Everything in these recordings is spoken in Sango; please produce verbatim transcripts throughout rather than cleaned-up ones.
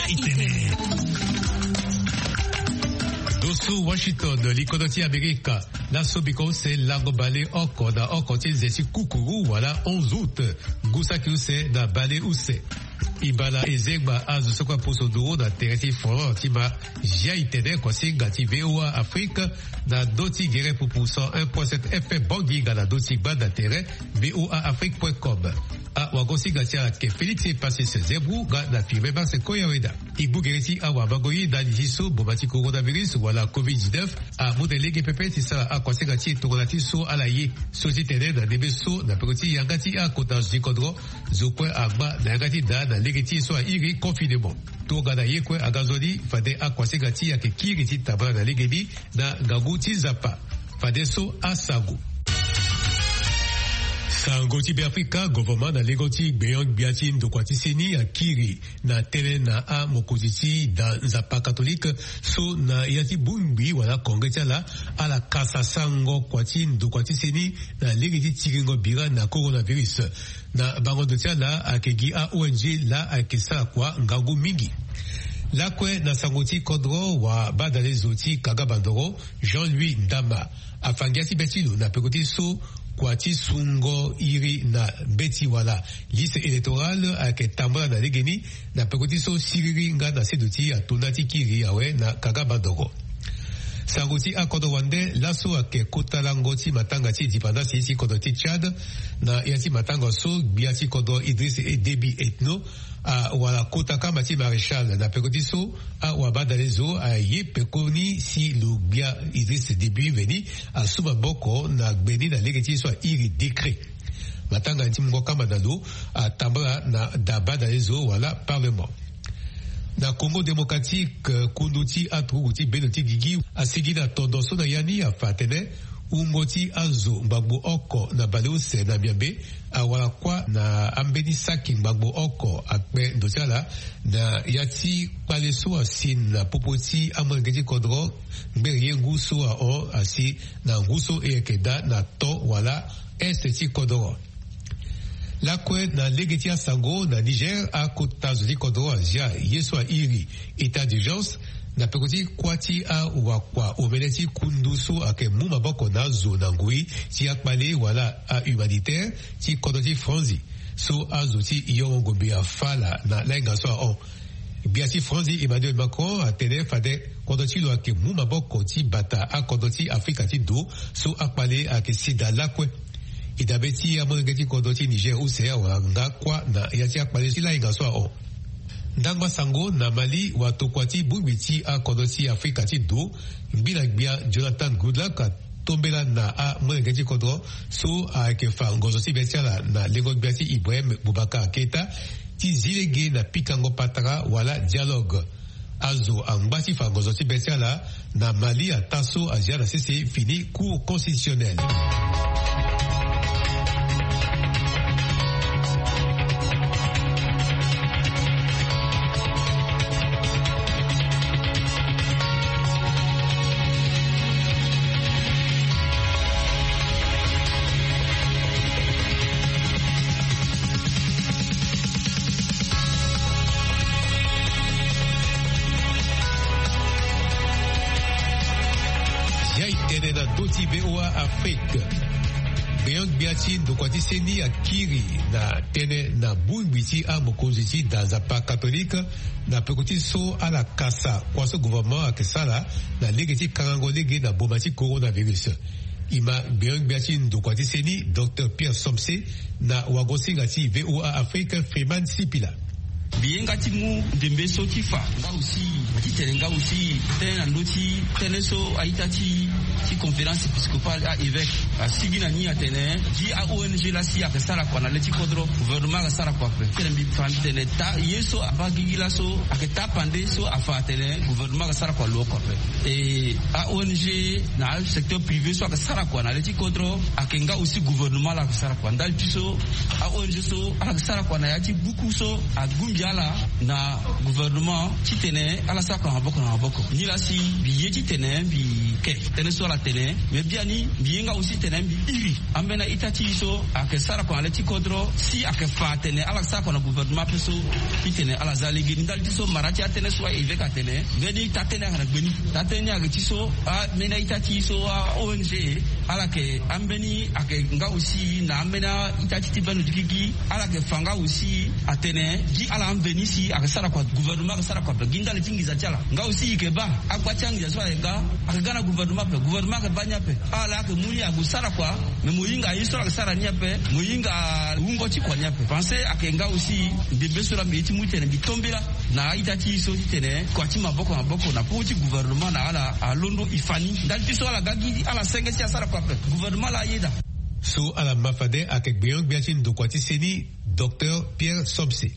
Itene. Doso Washington, likodo ti Amerika. Laso biko use lango bale oko na oko ti nze ti kukuru wala onze août. Ngu saki use na bale use. Ibala ezengba azo soko aposo nduru na tere ti forum ti ma zia itene kosinga ti VOA Afrique na ndö ti gere pupu cent un point sept F M Bangi nga na ndö ti gbanda tere VOA Afrique point com. Awagosinga ti ala ayeke Félix Epasis Zebru nga na Firmin Marse Koyaweda. E gbu gere ti awamango ye ndali ti so boma ti coronavirus wala covid dix-neuf amu na lege pepe ti sara akuasinga ti e tongana ti so ala ye so ti tene na ndembe so na peko ti yanga ti akota zo ti kodro zo kue agba na yanga ti daa na lege ti e so airi confinement. Tongana ye kue aga nzoni fade akuasinga ti e ayeke kiri ti tambala na lege ni na ngangu ti Nzapa. Fadeso asango. Sango ti Beafrika, governement na lengo ti gbenyo-gbia ti ndokua ti seni akiri na tënë na amokonzi ti da Nzapa katolike so na ya ti bongbi wala kongre ti ala, ala kasa sango kua ti ndokua ti seni na lege ti tiringo bira na coronavirus. Na bango ndo ti ala ayeke gi a-O N G laa ayeke sara kua ngangu mingi. Lakue na sango ti kodro, wabadalezo ti Kaga Bandoro, Jean-Louis Ndama, afa ngia ti be ti lo na peko ti so kua ti sungo iri na mbeti wala liste électorale ayeke tambula na legeni na peko ti so siriri nga na seduti ato nda ti kiri awe na Kaga Bandoro. Sango ti akodro wande, laso ayeke kota lango ti matanga ti indépendance ti kodro ti Tchad. Na ya ti matanga so gbia ti kodro Idriss Déby Itno awara kota kama ti maréchal na peko ti so awabadalezo aye pekoni si lo gbia Idriss Déby veni asu maboko na gbe ni na lege ti so airi décret. Matanga ti mungo kama na lo atambula na da badalezo wala parlement. Na Congo Démocratique, kundu ti aturugu ti bendo ti gigi asigi na tondo so na ya ni afa atene wungo ti azo ngbangbo oko na baleuse na Miambe awara kuâ na ambeni saki ngbangbo oko akpe ndo ti ala na ya ti kpale so asi na popo ti amolenge ti kodro ngbere ye ngu so ahon asi na ngu so e yeke daa na to wala est ti kodro. Lakue na lege ti asango, na Niger akota zo ti kodro azia ye so airi état d'urgence na peko ti kuâ ti awakua omene ti kundu so ayeke mu maboko na azo na ngoi ti akpale wala ahumanitaire ti kodro ti Franzi so azo ti yongo ngombe afa ala na lainga so ahon. Gbia ti Franzi Emmanuel Macron atene fade kodro ti lo ayeke mu maboko ti bata akodro ti Afrika ti ndo so akpale ayeke sida lakue. E dabe ti amolenge ti kodro ti Niger use awara nga kuâ na ya ti akpale ti lainga so ahon. Ndangba sango, na Mali, watokua ti bongbi ti akodro ti Afrika ti ndo, ngbi na gbia Jonathan Goodluck atombela na amolenge ti kodro so ayeke fa ngonzo ti be ti ala na lengo gbia ti Ibrahim Boubacar Keita ti zi lege na pikango patara wala dialogue. Azo angba ti fa ngonzo ti be ti ala na Mali ataa so azia na sese fini Cour constitutionnelle. Ya e tene na ndö ti VOA Afrique. Gbenyo-gbia ti ndokua ti seni akiri na tënë na bongbi ti amokonzi ti da Nzapa katolike na peko ti so ala kasa kua so gouvernement ayeke sara na lege ti kangango lege na boma ti coronavirus. E ma gbenyo-gbia ti ndokua ti seni, Docteur Pierre Somse, na wagosinga ti VOA Afrique, Freeman Sipila. Mbi ye nga ti mu ndembe so ti fa nga aussi, titene nga aussi tënë na ndö ti tënë so a-ita ti, ti conférence épiscopale, a-évêque asigi na ni atene gi a-O N G laa si ayeke sara kua na le ti kodro, gouvernement ayeke sara kua ape. Titene mbi fa mbi tene taa ye so abaa gigi laso ayeke taa pande so afa atene gouvernement ayeke sara kua lo oko ape. E a-O N G na asecteur privé so ayeke sara kua na le ti kodro ayeke nga aussi gouvernement laa ayeke sara kua. Ndali ti so a-O N G so ala yeke sara kua na ya ti buku so agbu mbi ala na gouvernement titene ala sara kua na maboko na maboko. Nilaa si mbi ye titene mbi ke tënë so Ala tene, mais biani mbi hinga aussi tene mbi iri ambeni a-ita ti e so ayeke sara kua na le ti kodro, si ayeke fa atene ala sara kua na gouvernement ape so. Titene ala za lege ni ndali ti so mara ti atënë so a-évêque atene mbeni taa-tënë ayeke na gbe ni. Taa-tënë ni ayeke ti so ambeni a-ita ti e so a-ong, ala yeke ambeni ayeke nga aussi na ambeni a-ita ti ti bendo ti gigi. Ala yeke fa nga aussi atene gi ala ambeni si ayeke sara kua, gouvernement ayeke sara kua ape gi ndali ti nginza ti ala. Nga aussi e yeke baa agba ti anginza so ayeke ga, ayeke ga na gouvernement ape, gouvernement ayeke baa ni ape. Ala ayeke mu ni ague sara kua, mais mo hinga ye so ala yeke sara ni ape, mo hinga wungo ti kua ni ape. Pensé ayeke nga aussi ndembe so laa mbi ye ti mu ti tene mbi to mbela na a-ita ti e so ti tene kua ti maboko na maboko na popo ti gouvernement na ala alondo e fa ni ndali ti so ala ga gi ala senge si asara kua ape. Gouvernement laa ayeda. So ala ma fade ayeke gbenyo-gbia ti ndokua ti seni, Docteur Pierre Somse. E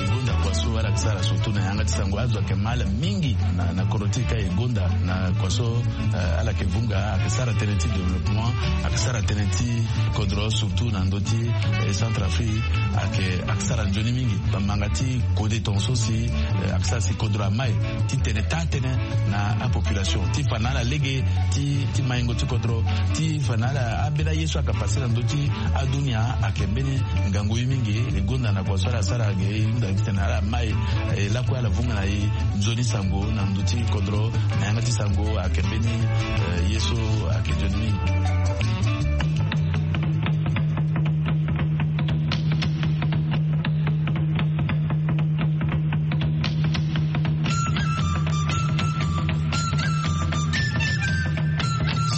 gonda kua so ala yeke sara surtout na yanga ti sango, azo ayeke ma ala mingi na, na kodro ti e ka e gonda na kua so, eh, ala yeke vunga, ayeke sara tënë ti développement, ayeke sara tënë ti kodro surtout na ndö ti, eh, Centrafrique, ayeke, ayeke sara nzoni mingi. Bamanga ti kode tongaso si, eh, ayeke sara si kodro amai titene taa-tënë na apopulation ti fa na ala lege ti, ti maingo ti kodro, ti fa na ala ambeni aye so ayeke pase na ndö ti adunia. Ayeke mbeni ngangu ye mingi. E gonda na kua so ala sara ge e hunda titene ala mai, eh, lakue ala vunga na e nzoni sango na ndö ti kodro na yanga ti sango ayeke mbeni, eh, ye so ayeke nzoni mingi.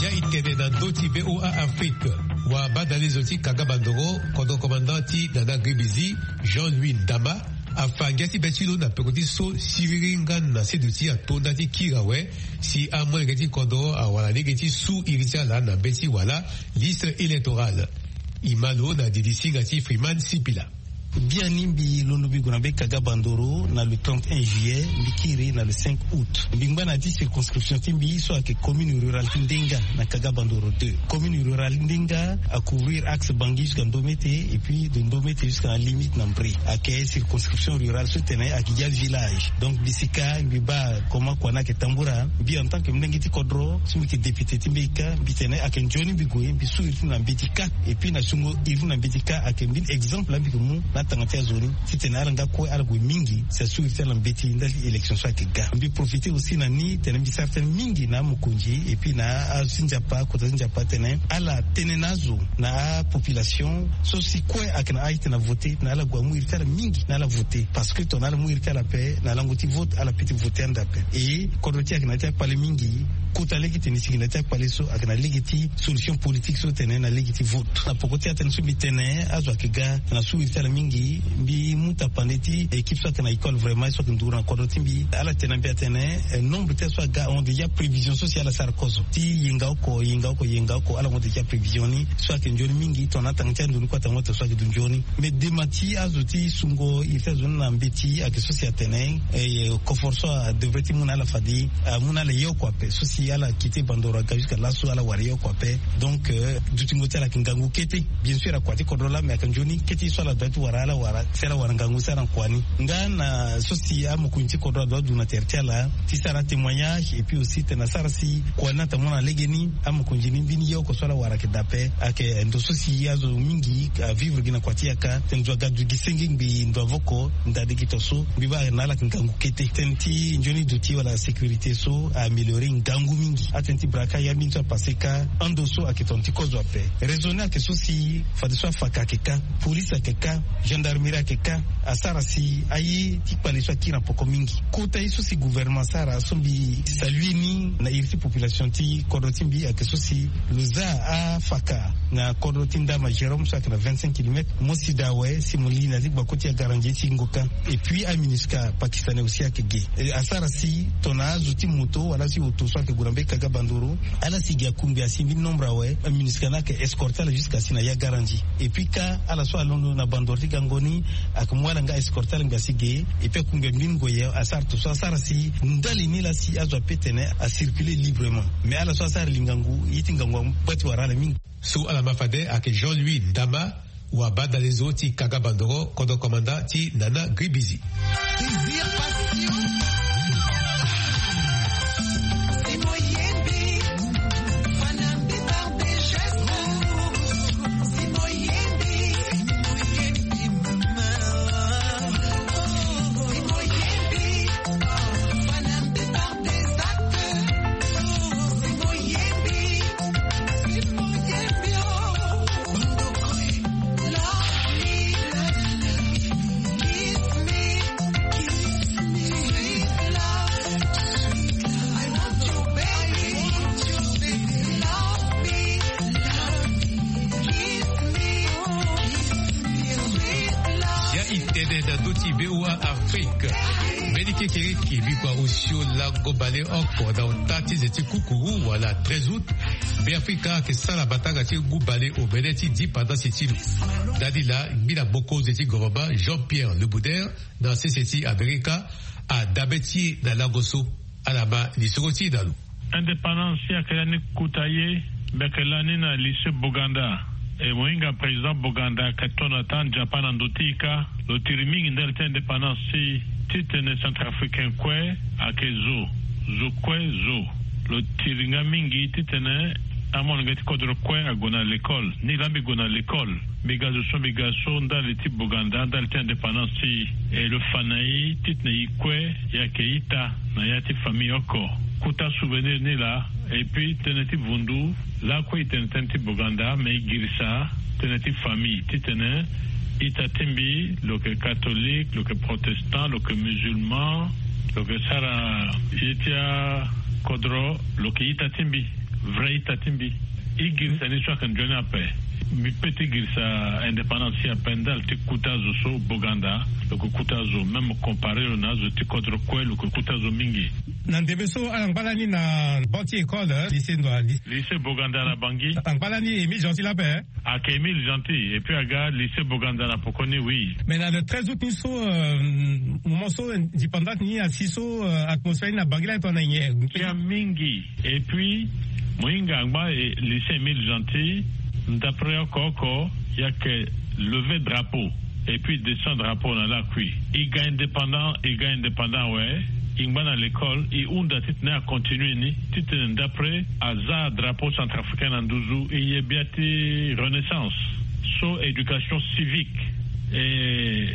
Ya e tene na ndö ti V O A Afrique, wabadalezo ti kanga bandoro, kodro commandant ti Nana Gribizi, Jean-Louis Ndama, afa ngia ti be ti lo na peko ti so siriri nga na seduti ato nda ti kiri awe, si amolenge ti kodro awara lege ti su iri ti ala na be ti wala liste électorale. E ma lo na didi singa ti Freeman Sipila. Biani mbi londo mbi gue na be Kaga Bandoro na le trente et un juillet, mbi kiri na le cinq août. Mbi ngba na ya ti circonscription ti mbi so ayeke commune rurale ti Ndenga na Kaga Bandoro deux. Commune rurale ti Ndenga a couvrir axe Bangui jusqu'à Ndomete, et puis de Ndomete jusqu'à na limite na Mbre. Ayeke circonscription rurale so tene ayeke gi avillage. Donc mbi sika mbi baa comment kua ni ayeke tambula. Mbi en tant que molenge ti kodro so mbi yeke député ti mbeti kâ, mbi tene ayeke nzoni mbi gue mbi su iri ti mbi na mbeti kâ. Et puis na sungo iri ti mbi na mbeti kâ ayeke mbeni exemple mbi yeke mu na atanga ti azo ni, titene ala nga kue ala gue mingi si asu iri ti ala na mbeti ndali ti élection so ayeke ga. Mbi profité aussi na ni tene mbi sara tënë mingi na amokonzi et puis na azo ti Nzapa, kota ti Nzapa tene ala tene na azo na apopulation so si kue ayeke na âge ti tene avoté, titene ala gue amu iri ti ala mingi na ala voté. Parce que tongana ala mu iri ti ala ape na lango ti vote, ala peut ti voté ande ape. Et kodro ti e ayeke na ya ti akpale mingi. Kota lege ti tene e sigi na ya ti akpale so ayeke na lege ti solution politique so tene na lege ti vote. Na poko ti atënë so mbi tene azo ayeke ga na su iri ti ala mingi, mbi mu tapande ti équipe so ayeke na école vraiment so ayeke nduru na kodro ti mbi. Ala tene na mbi atene, eh, nombre ti azo so aga ahon déjà prévision so si ala sara kozo ti yenga oko, yenga oko, yenga oko, ala hon déjà prévision ni so ayeke nzoni mingi. Tongana atanga ti ando ni kue atanga ti so ayeke du nzoni. Mais dema ti azo ti sungo iri ti azo ni na mbeti ayeke so si atene, eh, koforo so adevrait ti mu na ala fade amu na ala ye oko ape. So si ala quitté Bandoro aga jusqu'à laso ala wara ye oko ape. Donc, euh, dutingo ti ala ayeke ngangu kete. Bien sûr akua ti kodro laa, mais ayeke nzoni kete so ala doit ti wara ala wara si ala wara ngangu so ala na kua ni. Nga na so si amokonzi ti kodro adoit du na tere ti ala ti sara atémoignage et puis aussi tene asara si kua ni ata mu na legeni. Amokonzi ni mbeni ye oko so ala wara ayeke dape, ayeke ndo so si azo mingi avivre gi na kua ti yaka. Tene zo aga du gi senge ngbii ndo avoko ndade gi to so. Mbi baa na ala ayeke ngangu kete. Tënë ti nzoni duti wala sécurité so a amélioré ngangu mingi. Atënë ti braquage ambeni so apassé kâ, ando so ayeke tongana ti kozo ape. Raison ni ayeke so si fadeso afaka ayeke kâ, police ayeke kâ, gendarmerie ayeke kâ. Asara si aye ti kpale so akiri na poko mingi. Kota ye so si gouvernement asara so mbi salue ni na iri ti population ti kodro ti mbi ayeke so si lo za afaka na kodro ti Ndama Jérôme so ayeke na vingt-cinq kilomètres. Mo sida awe si mo li na ya ti gbako ti Yagarandji ti Ngoka. Et puis aMINUSCA pakistanais aussi ayeke ge. E, asara si tongana azo ti moto wala si oto so ayeke gue na mbeni Kaga Bandoro, ala si gi akungbi asi mbeni nombre awe, aMINUSCA ni ayeke escorté ala jusqu'à si na Yagarandji. Et puis kâ ala so alondo na Bandoro ti gango ni ayeke mu ala nga escorté ala ngbi asi ge. Et puis akungbi ambeni ngoi asara to so asara si ndali ni laa si azo ape tene acirculer librement. Mais ala so asara li ngangu, ye ti ngangu angba ti wara ala mingi. So ala ma fade ayeke Jean-Louis Ndama, wabadalezo ti Kaga Bandoro, kodro commandant ti Nana Gribizi. Ya i tene na ndö ti V O A Afrique. Mbeni kekereke bikua osio lango bale oko na ota ti ze ti kukuru wala treize août. Beafrika ayeke sara matanga ti ngu bale omene ti dipandasi ti lo. Ndani laa ngbila mokonzi ti gouvernement Jean-Pierre Lebouder na sese ti Amerika adabe ti e na lango so. Ala ma lisoro ti e na lo. Indépendance si ayeke lani kota ye. Mbi yeke lani na lycée Boganda. E mo hinga président Boganda ayeke to na taa Nzapa na ndo ti e kâ. Lo tiri mingi ndali ti indépendance ti titene centrafricain kue ayeke zo. Zo kue zo. Lo tiri nga mingi titene amolenge ti kodro kue ague na l'école. Nilaa mbi gue na l'école. Mbi ga zo so mbi ga so ndali ti Boganda ndali ti indépendance ti e. E lo fa na e titene e kue e yeke ita na ya ti famille oko. Kota souvenir ni laa. Et puis tënë ti vundu lakue e tene tënë ti Boganda me e girisa tënë ti famille titene ita ti mbi lo yeke catholique, lo yeke protestant, lo yeke musulman, lo yeke sara ye ti akodro, lo yeke ita ti mbi. Vrai ita ti mbi. E girisa ni so ayeke nzoni ape. Mbi pe ti girisa indépendance si ape ndali ti kota zo so Boganda lo yeke kota zo même comparé lo na azo ti kodro kue lo yeke kota zo mingi. Na ndembe so ala ngba lani na banc ti école, eh, lycée ndo ali. Lycée Boganda na Bangui. Ala ngba lani Émile Gentil ape, eh? Ayeke Émile Gentil et puis aga lycée Boganda na poko ni oui. Mais na le treize août ni so, euh, moment so indépendance ni asi so, euh, atmosphère ni na Bangui lani tongana nyen? Kia mingi. Et puis mo hinga angba, eh, lycée Émile Gentil, d'après oko oko, il y a que lever drapeau et puis descendre drapeau na lakui. E ga indépendant, e ga indépendant awe. E ngba na l'école, e hunda titene acontinue ni titene d'après aza drapeau centrafricain na nduzu. E ye bia ti renaissance so éducation civique et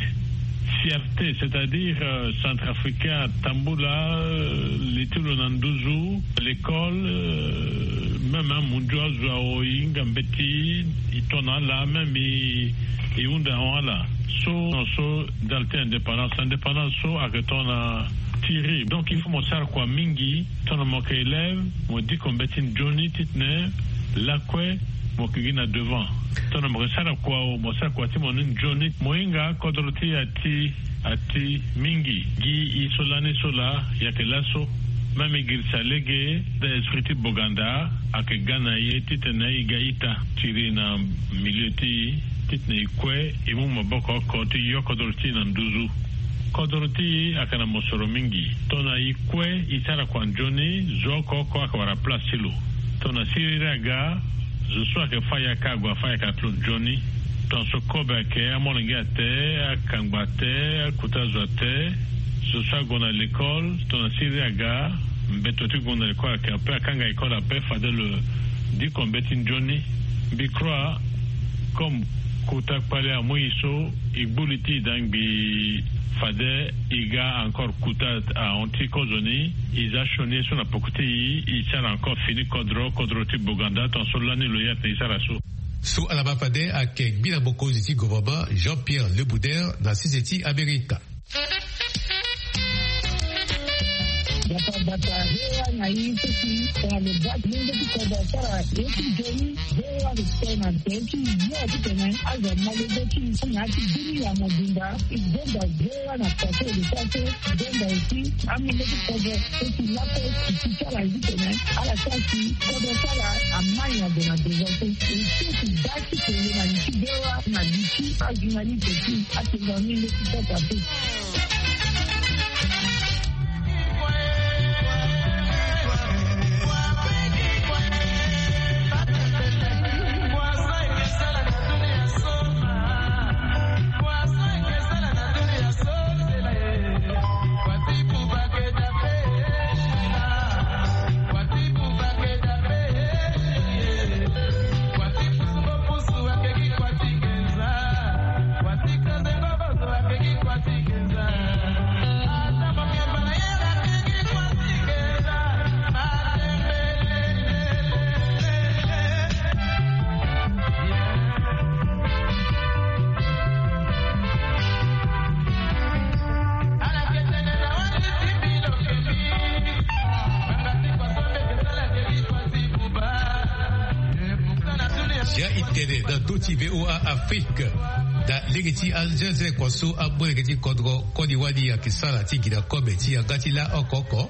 fierté, c'est-à-dire, euh, centrafricain atambula, euh, li ti lo na nduzu, l'école, euh, même amundu azo awe e hinga mbeti, e to na ala même e, e hunda ahon ala. So, so ndali ti indépendance, indépendance so ayeke tongana tiri. Donc il faut mo sara kua mingi tongana mo yeke élève, mo diko mbeti nzoni titene lakue mo yeke gi na devant. Tongana mo yeke sara kua o, mo sara kua ti mo ni nzoni. Mo hinga kodro ti e ati, ati mingi. Gi e so lani so laa e yeke laso. Même e girisa lege, da esprit ti Boganda ayeke ga na e titene e ga ita. Tiri na milieu ti e titene e kue e mu maboko oko ti yo kodro ti e na nduzu. Kodro ti e ayeke na mosoro mingi. Tongana e kue e sara kua nzoni, zo oko oko ayeke wara place ti lo. Tongana siriri aga, zo so ayeke fâ yaka ague afâ yaka ti lo nzoni. Tongaso kobe ayeke, amolenge ate, akangba ate, akota zo ate. Zo so ague na l'école, tongana siriri aga, mbeto ti gue na l'école ayeke ape, akanga école ape, fade lo diko mbeti nzoni. Mbi crois comme kota kpale amu e so, e gbu li ti e da ngbii fade e ga encore kota ahon ti kozoni. E za sioni ye so na poko ti e, e sara encore fini kodro, kodro ti Boganda, tongaso lani lo ye atene e sara so. So ala ma fade ayeke gbila mokonzi ti gouvernement Jean-Pierre Lebouder na sese ti Amerika. Bata bata, V O A na e so si tongana lo baa ti lenge ti kodro asara ye ti nzoni, V O A lo sara na tere ti yo titene azo ama lege ti e na ya ti bini ya mobimba. E zonza V O A na tere ti lo sara so, e zonza aussi amolenge ti kodro so si lakue e si ti ala titene ala sara si kodro ti ala ama nyen ague na devant so. E so si baa ti kele na li ti V O A na li ti ajournaliste ti atenga ni lege ti kota so. Ti V O A Afrique. Na lege ti anzenze kua so amolenge ti kodro koli wali ayeke sara ti gi na kobe ti yanga ti la oko oko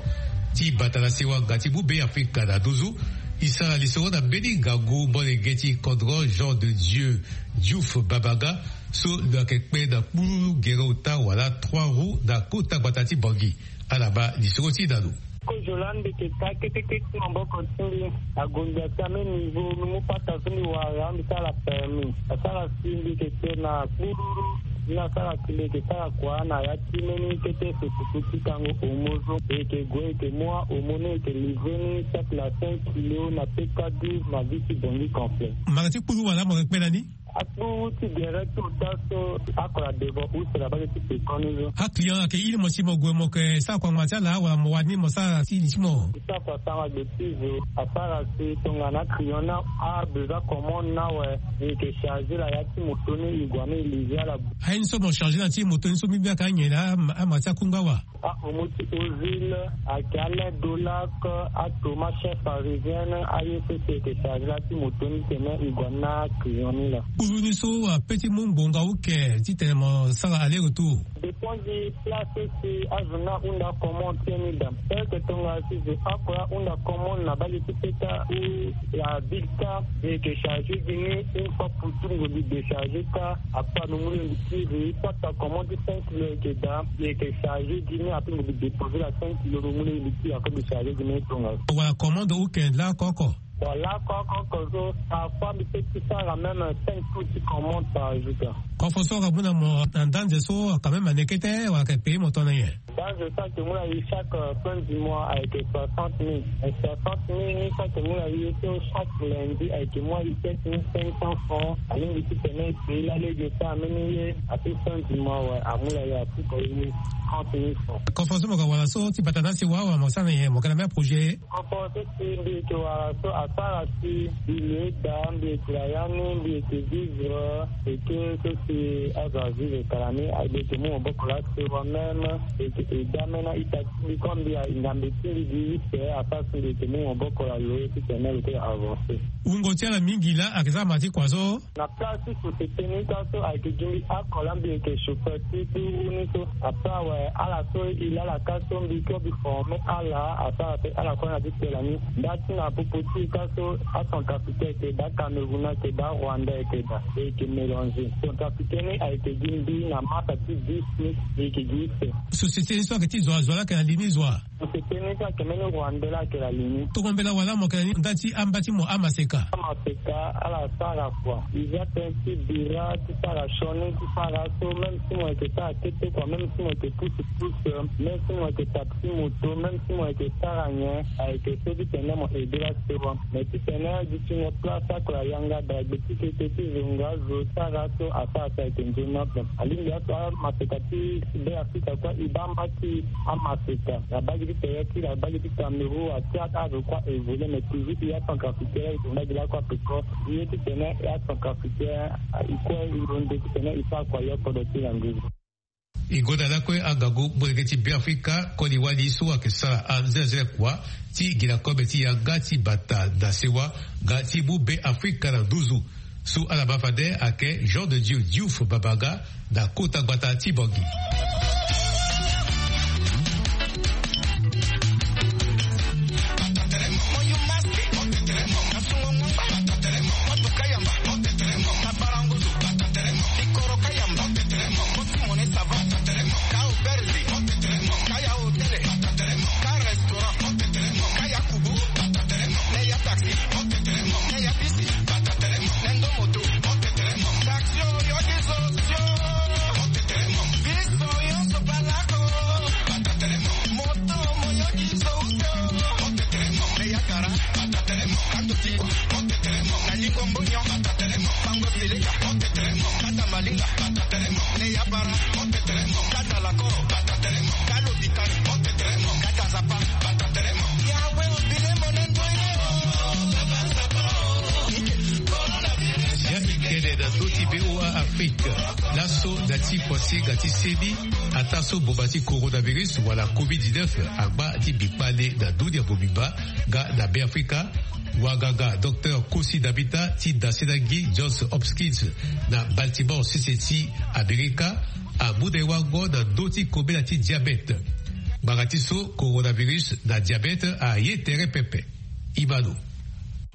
ti bata na sewa nga ti mu be Afrika na nduzu. E sara lisoro na mbeni ngangu molenge ti kodro Jean de Dieu Diouf Babaga, so lo yeke kpe na kpululu gere ota wala trois roues na kota gbata ti Bangui. Ala baa lisoro ti na lo. Kozo laa mbi yeke ka kete kete ti maboko ti mbi. Agonda ti ame niveau mbi mu pata so mbi wara mbi sara permis. Asara si mbi yeke kpe na kpululu. Ni asara si mbi yeke sara kua na ya ti mbeni kete susuku ti kango omo so. E yeke gue e yeke mu ahomo ni e yeke livrer ni chaque na cinq kilo na P K douze na ville ti Bangui complet. Mara ti kpululu wala mo yeke kpe na ni? Akpuru ti gere ti ota so akora devant use na bage ti pekon ni so. Aclient ayeke iri mo si mo gue mo yeke sara kua ngbanga ti ala wala mo wani mo sara ti li ti mo? Ti sara kua sara gbe ti zo asara si tongana aclient ni abesoin commande ni awe. E yeke charger la ya ti moto ni e gue ni e livrer ala. Aye ni so mo charger na ti moto ni so mbi mbi ayeke anyen laa ama ti akunga wa. Ahomo ti Ozil ayeke alait Dolac, atoma chef parisienne, aye so si e yeke charger la ti moto ni titene e gue na client ni laa. Kpuru ni so ape ti mu ngbonga uke titene mo sara aller retour? Dépend gi place so si azo ni ahunda commande ti e ni daa. Peut-être tongana si zo oko ahunda commande na bage ti peta ou la ville ta, e yeke charger gi ni une fois pour tout, ngu mbi décharger ka. Après mbi mu lege mbi tiri, soit ta commande ti cinq kilo e yeke daa, mbi yeke charger gi ni, après mbi déposer la cinq kilo, mbi mu lege mbi tiri, après mbi charger gi ni tongaso. Wala commande uke laa oko oko? Bon, laa oko oko so, parfois mbi peut ti sara même cinq tours ti commande par jour ka. Kofo so aka mu na mo na ndanze so, quand même, anekete, wala ayeke payer mo tongana nyen? Ndanze so ayeke mu na e chaque, euh, fin du mois ayeke soixante mille. Et soixante mille ni so ayeke mu na e so chaque lundi ayeke mu na e sept mille cinq cents francs. Alingbi titene e payer la lege so ameni ye, ape fin du mois awe, amu na e apuka e trente mille francs. Kofo so mo yeke wara so ti bata na asewa awe, mo sara na nyen, mo yeke na même projet? Kofo so si mbi yeke wara so asara si mbi lo eda, mbi yeke na ya ni, mbi yeke vivre eke so si azo avivre tara ni, mbi yeke mu maboko laa sewa même, mbi yeke eda même na ita ti mbi, comme mbi a ngambe ti mbi gi use, asara si mbi yeke mu maboko na lo titene lo te avancer. Wungo ti ala mingi laa ayeke za ma ti kua so. Na place ti société ni ka so ayeke gi mbi oko laa mbi yeke chauffeur ti kpuru ni so. Après awe, ala so e laa ala ka so mbi kue mbi former ala, asara pe ala kue na ti tela ni. Nda ti na popo ti e ka so acentrafricain ayeke daa, Cameroun ayeke daa, Rwanda ayeke daa, e yeke mélanger. Centrafricain ni ayeke gi mbi na masa ti dix ni, e yeke gi use. Société ni so ayeke ti zo wa, zo wa laa ayeke na li ni zo wa? Société ni so ayeke mbeni Rwandais laa ayeke na li ni. Tongana mbela wala mo yeke na ni nda ti amba ti mo amaseka? Amaseka ala sara kua. E za tënë ti bira ti sara sioni ti sara so, même si mo yeke sara kete kua, même si mo yeke pousse pousse, même si mo yeke taxi moto, même si mo yeke sara nyen, ayeke so titene mo aider la sewa. Mais titene gi ti mo place akua yanga da gbe ti kete ti zo nga zo sara so asara so ayeke nzoni ape. Alingbi aso amaseka ti Be Afrika kue e baa mba ti amaseka na bage ti tere ti la, bage ti Cameroun, ati azo kue a évoluer, mais toujours e acentrafricain e yeke mbage lakue ape ko. Ye titene e acentrafricain e kue e londo titene e sara kua yo kodro ti la nduzu. E gonda lakue angangu molenge ti Be Afrika koli wali so ayeke sara anzenze kua ti gi na kobe ti yanga ti bata na sewa nga ti mu Be Afrika na nduzu. So ala ma fade ayeke Jean de Dieu Diouf Babaga na kota gbata ti Bangui. Ya i kene na so ti V O A Afrique, laso na ti kuasinga ti seni, ataa so mboma ti coronavirus wala covid dix-neuf angba ti bikpale na dunia mobimba nga na Beafrika, wanganga docteur Kosi Dabita ti dasenangi Johns Hopkins na Baltimore, sese ti Amerika, amu na e wango na ndö ti kobela ti diabète. Ngbanga ti so coronavirus na diabète aye tere pepe. Imano.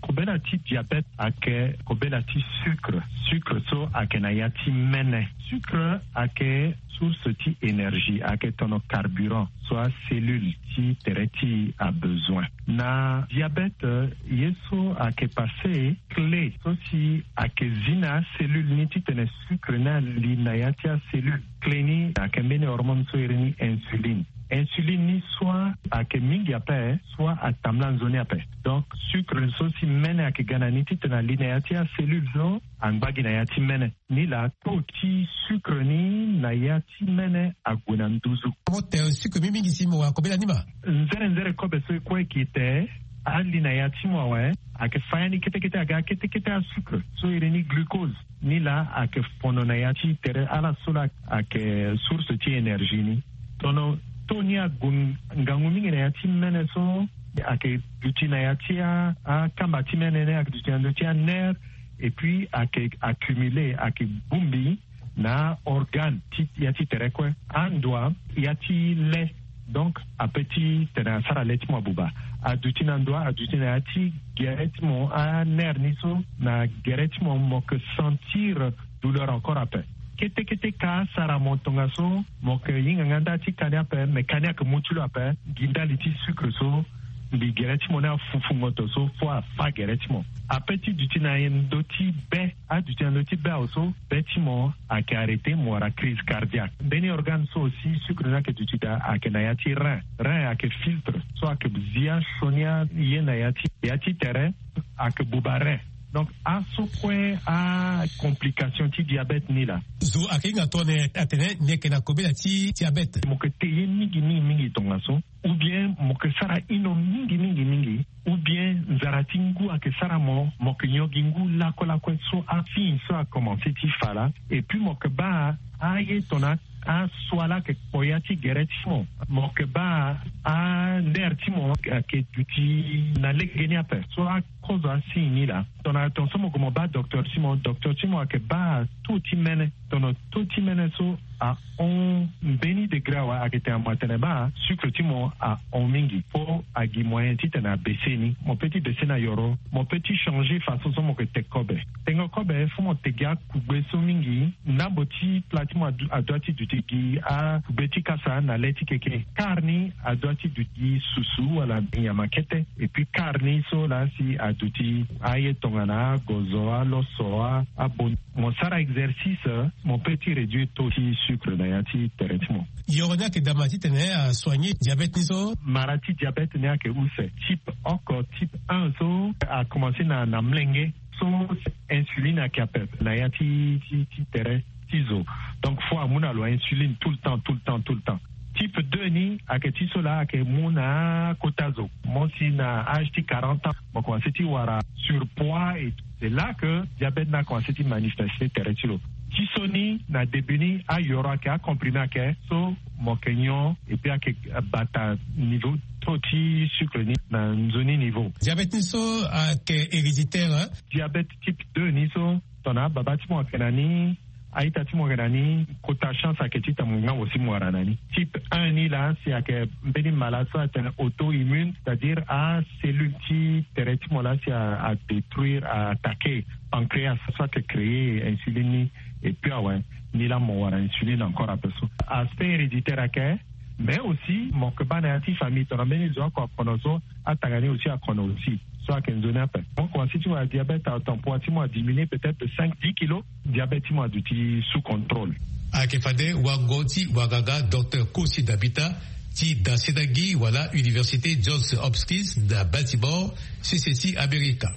Kobela ti diabète ayeke kobela ti sucre. Sucre so ayeke na ya ti mene. Sucre ayeke source ti énergie, ayeke tono carburant so acellule ti tere ti e abezoin. Na diabète, ye so ayeke passé clé so si ayeke zi na acellule ni titene sucre ni ali na ya ti acellule. Clé ni ayeke mbeni hormone so iri ni insuline. Insuline ni soit ayeke mingi ape, soit atambula nzoni ape. Donc sucre so si mene ayeke ga na ni titene ali na ya ti acellule so angba gi na ya ti mene. Nilaa taux ti sucre ni na ya ti mene ague na nduzu. Mo tere sucre mingi mingi si mo wara kobela ni ma. Nzere nzere kobe so e kue e ke ete ali na ya ti mo awe, ayeke fa ya ni kete kete aga kete kete asucre so iri ni glucose. Nilaa ayeke fono na ya ti tere ala so laa ayeke source ti énergie ni. Tono taux ni ague ngangu mingi na ya ti mene so ayeke duti na ya ti a, akamba ti mene ni ayeke duti na ndö ti anerf. Et puis ayeke accumulé, ayeke bongbi na organe ti ya ti tere kue. Andua ya ti le, donc ape ti tene asara le ti mo abuba. Aduti na ndua, aduti na ya ti gere ti mo, anerf ni so na gere ti mo, mo yeke sentir douleur encore ape. Kete kete ka asara mo tongaso, mo yeke hinga nga nda ti ka ni ape, me ka ni ayeke mu ti lo ape. Gi ndali ti sucre so mbi gere ti mo ni afufu ngoto so fo afa gere ti mo. Ape ti duti na ndö ti be, aduti na ndö ti be awe so be ti mo ayeke arrêté, mo wara crise cardiaque. Mbeni organe so aussi sucre ni ayeke duti daa ayeke na ya ti rein. Rein ayeke filtre so ayeke zi asioni aye na ya ti, ya ti tere, ayeke buba rein. Donc aso kue acomplication ti diabète ni laa. Zo ayeke hinga tongana atene ni yeke na kobela ti diabète. Mo yeke te ye mingi mingi mingi tongaso, ou bien mo yeke sara ino mingi mingi mingi, ou bien nzara ti ngu ayeke sara mo, mo yeke nyon gi ngu lakue lakue so asigne so akomanse ti fa laa. Et puis mo yeke baa aye tongana asua laa ayeke kpo ya ti gere ti mo. Mo yeke baa anerf ti mo ayeke duti na lege ni ape. So akozo asigne ni laa, tongana tongaso mo gue mo baa docteur ti mo, docteur ti mo ayeke baa taux ti mene. Tongana taux ti mene so ahon mbeni degré awe, ayeke tene mo atene baa sucre ti mo ahon mingi. Fo agi moyen titene abaissé ni. Mo peut ti baissé na yoro, mo peut ti changé façon so mo yeke te kobe. Tengo kobe fo mo te gi akugbe so mingi. Ndambo ti pla ti mo adu-, adua ti duti gi akugbe ti kasa na le ti keke. Kar ni adua ti duti gi susu wala nyama kete. Et puis kar ni so laa si aduti aye tongana agozo, aloso, a, abon. Mo sara exercice, mo peut ti réduire taux ti sucre na ya ti tere ti mo. Yoro ni ayeke daa ma titene asoigner diabète ni so? Mara ti diabète ni ayeke use. Type oko, type un so akomanse na, na mlenge. So insuline ayeke ape na ya ti, ti, ti tere ti zo. Donc fo amu na lo insuline tout le temps, tout le temps, tout le temps. Type deux ni ayeke ti so laa ayeke mu na akota zo. Mo si na âge ti quarante ans, mo komanse ti wara surpoids et c'est là que diabète ni akomanse ti manifester tere ti lo. Ti so ni na début ni ayoro ayeke, acomprimé ayeke, so mo yeke nyon et puis ayeke bata niveau taux ti sucre ni na nzoni niveau. Diabète ni so ayeke héréditaire, hein? Diabète type deux ni so, tongana ababa ti mo ayeke na ni, a-ita ti mo ayeke na ni, kota chance ayeke ti tene mo ngangu si mo wara na ni. Type un ni laa si ayeke mbeni mala so atene auto-immune, c'est-à-dire acellule ti tere ti mo laa si a, adétruire, a-attaqué pancréas so ayeke créer insuline ni. Et puis awe, ni laa mo wara insuline encore ape so. Aspect héréditaire ayeke, mais aussi mo yeke baa na ya ti famille, tongana mbeni zo oko akono so, atanga ni aussi akono aussi. So ayeke nzoni ape. Mo komanse ti wara diabète, atanpoi ti mo adiminué peut-être de cinq, dix kilos. Diabète ti mo aduti sous contrôle. Ayeke fade wango ti wanganga docteur Kosi Dabita ti dasenangi wala Université Johns Hopkins na Baltimore, sese ti Amerika.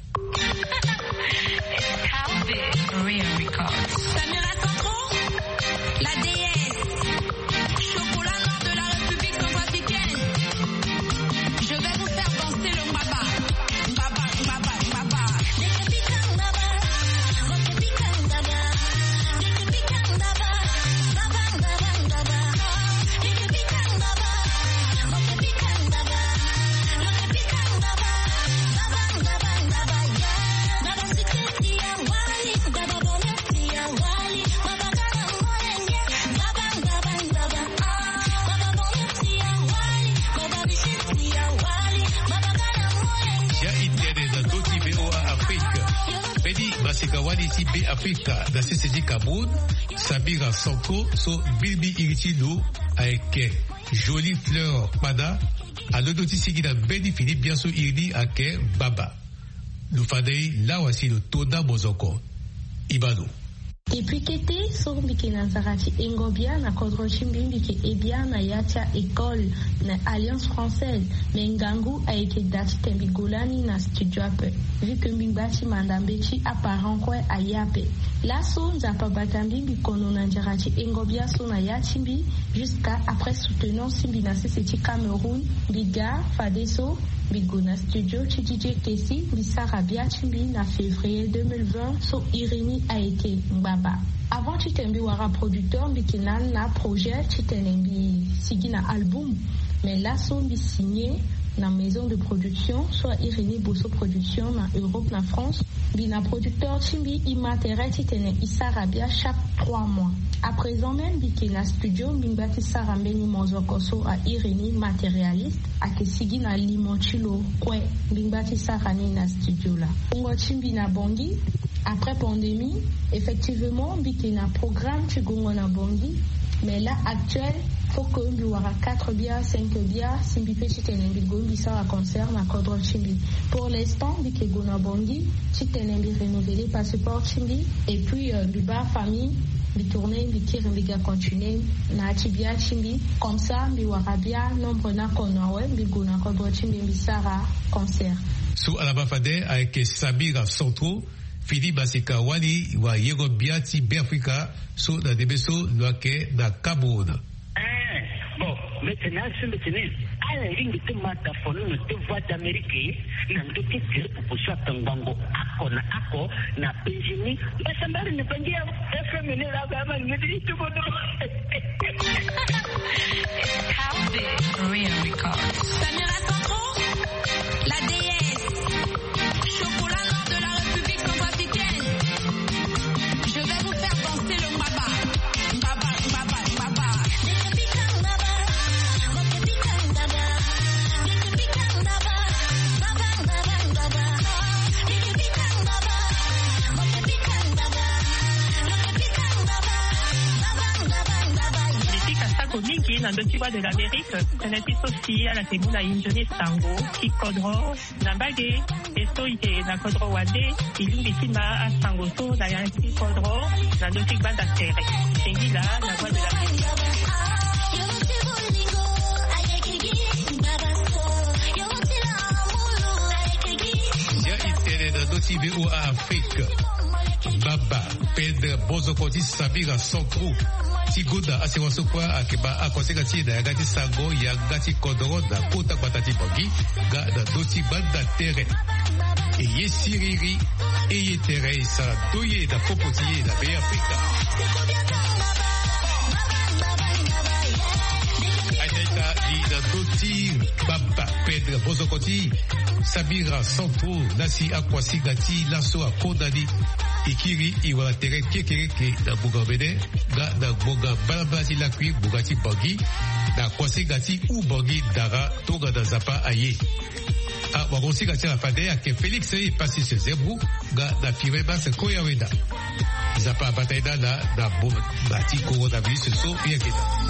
Samira Centraux, la déesse. Chocolat noir de la République centrafricaine. Je vais vous faire danser le mbaba. Mbaba, mbaba, mbaba. Kawali ti Beafrika na sese ti Cameroun, Samira Santro so mbilimbili iri ti lo ayeke Jolie Fleur Kpada, alondo ti sigi na mbeni fini bia so iri ni ayeke Baba. Lo fade ye lawa si lo to nda mozoko. Ibano. Depuis kete so mbi yeke na nzara ti hengo bia na kodro ti mbi, mbi yeke he bia na ya ti a-école na Alliance Française. Me ngangu ayeke da titene mbi gue lani na studio ape, vu que mbi ngba ti manda mbeti aparent kue aye ape. Laso Nzapa abata mbi, mbi kono na nzara ti hengo bia so na ya ti mbi, jusqu'à après soutenance ti mbi na sese ti Cameroun, mbi ga fadeso mbi gue na studio ti D J Kessy, mbi sara bia ti mbi na février deux mille vingt so iri ni ayeke Ngbaba. Avant titene mbi wara producteur, mbi yeke nanu na projet titene mbi sigi na album. Me laso mbi signé na maison de production so a iri ni Bosso Production na Europe, na France. Mbi na producteur ti mbi, e ma tere titene e sara bia chaque trois mois. À présent même, mbi yeke na studio, mbi ngba ti sara mbeni mozoko so a iri ni Matérialiste, ayeke sigi na limo ti lo kue. Mbi ngba ti sara ni na studio laa. Wungo ti mbi na Bangui, après pandémie, effectivement, mbi yeke na programme ti gongo na Bangui. Mais là actuel, faut que mbi wara quatre bia, cinq bia si mbi peut titene mbi gue mbi sara concert na kodro ti mbi. Pour l'instant, mbi yeke gue na Bangui titene mbi renouveler passeport ti mbi. Et puis, euh, mbi baa famille, mbi tourner, mbi kiri, mbi ga continuer na ya ti bia ti mbi. Comme ça, mbi wara bia nombre ni akono awe, mbi gue na kodro ti mbi, mbi sara concert. So ala baa fade ayeke Samira Santro, fini masika wali wayengo bia ti Beafrika so na ndembe so lo yeke na Cameroun. Eh, bon, mbi tene asi, mbi tene ala lingbi ti ma ta fono na deux voix d'Amérique na ndö ti groupe so atongbango ako na ako na Benjini. Mbi sambari na Bangui ya F M ni la ba ma ni ti tubo do. It's House Real Records. Samira Santro, la déesse. Chocolat noir de la République centrafricaine. Je vais vous faire danser le mbaba. Mbaba, mbaba, mbaba. Mbi pika sako mingi na ndö ti Voix de l'Amérique. Tene ti so si ala yeke mu na inzo ni sango ti kodro. Na mbage, e so e yeke na kodro wande, e lingbi ti ma asango so na ya ti kodro na ndö ti gbanda tere. Singila na Voix de l'Amérique. Ya e tene na ndö ti V O A Afrique. Baba. Pedre Bozoko ti Samira Santro ti gonda asewa so kue ayeke baa akonsenga ti e na yanga ti sango, yanga ti kodro na kota gbata ti Bangui, nga na ndö ti gbanda tere. E ye siriri, e ye tere, e sara ndoye na popo ti e na Beafrika. Aita aita, e na ndö ti Baba Pedre Bozoko ti Samira Santro, laa si akuasinga ti laso akonda ni. E kiri e wara tere kekereke na ngbonga omene nga na ngbonga mbalambala ti lakui ngbonga ti Bangui, na kuasinga ti hou Bangui ndara tongana Nzapa aye. Awagosinga ti ala fade ayeke Félix Epasis Zebro nga na Firmin Mas Koyaweda. Nzapa abata ye na ala na ngbonga ti coronavirus so e yeke na.